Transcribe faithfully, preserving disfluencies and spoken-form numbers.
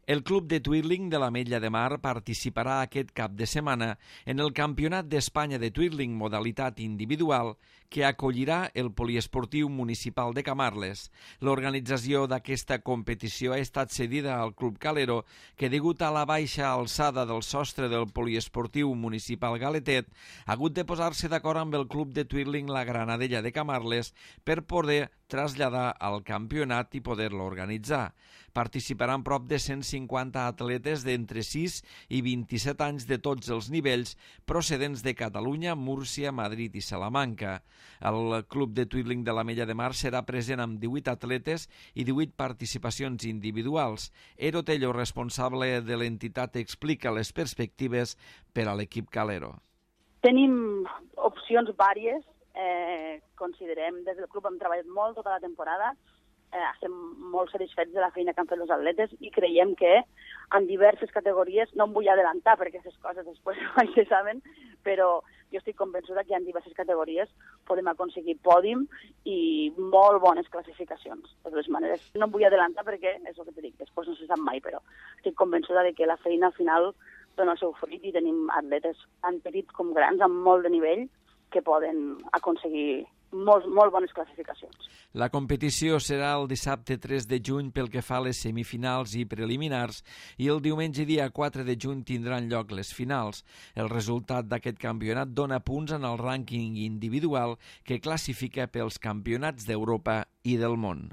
El Club de Twirling de l'Ametlla de Mar participarà aquest cap de setmana en el Campionat d'Espanya de Twirling modalitat individual que acollirà el Poliesportiu Municipal de Camarles. L'organització d'aquesta competició ha estat cedida al Club Calero, que degut a la baixa alçada del sostre del Poliesportiu Municipal Galetet ha hagut de posar-se d'acord amb el Club de Twirling La Granadella de Camarles per poder traslladar al campionat i poder-lo organitzar. Participaran prop de cent cinquanta atletes d'entre sis i vint-i-set anys de tots els nivells procedents de Catalunya, Múrcia, Madrid i Salamanca. El Club de Twirling de l'Ametlla de Mar serà present amb divuit atletes i divuit participacions individuals. Ero Tello, responsable de l'entitat, explica les perspectives per a l'equip Calero. Tenim opcions vàries. Eh, considerem, des del club hem treballat molt tota la temporada, eh, estem molt satisfets de la feina que han fet els atletes i creiem que en diverses categories, no em vull adelantar perquè aquestes coses després mai se saben, però jo estic convençuda que en diverses categories podem aconseguir pòdium i molt bones classificacions. De totes maneres, no em vull adelantar perquè és el que t'he dit, després no se sap mai, però estic convençuda de que la feina al final dona el seu fruit i tenim atletes tant petits com grans amb molt de nivell que poden aconseguir molt, molt bones classificacions. La competició serà el dissabte tres de juny pel que fa a les semifinals i preliminars i el diumenge dia quatre de juny tindran lloc les finals. El resultat d'aquest campionat dona punts en el rànquing individual que classifica pels campionats d'Europa i del món.